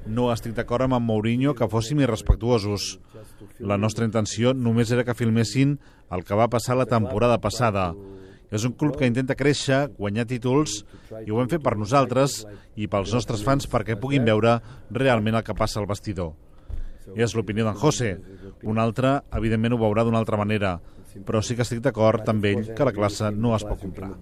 No estic d'acord amb en Mourinho que fóssim irrespectuosos. La nostra intenció només era que filmessin el que va passar la temporada passada. És un club que intenta créixer, guanyar títols, i ho hem fet per nosaltres i pels nostres fans perquè puguin veure realment el que passa al vestidor. És l'opinió d'en José. Un altre, evidentment, ho veurà d'una altra manera, però sí que estic d'acord amb ell que la classe no es pot comprar.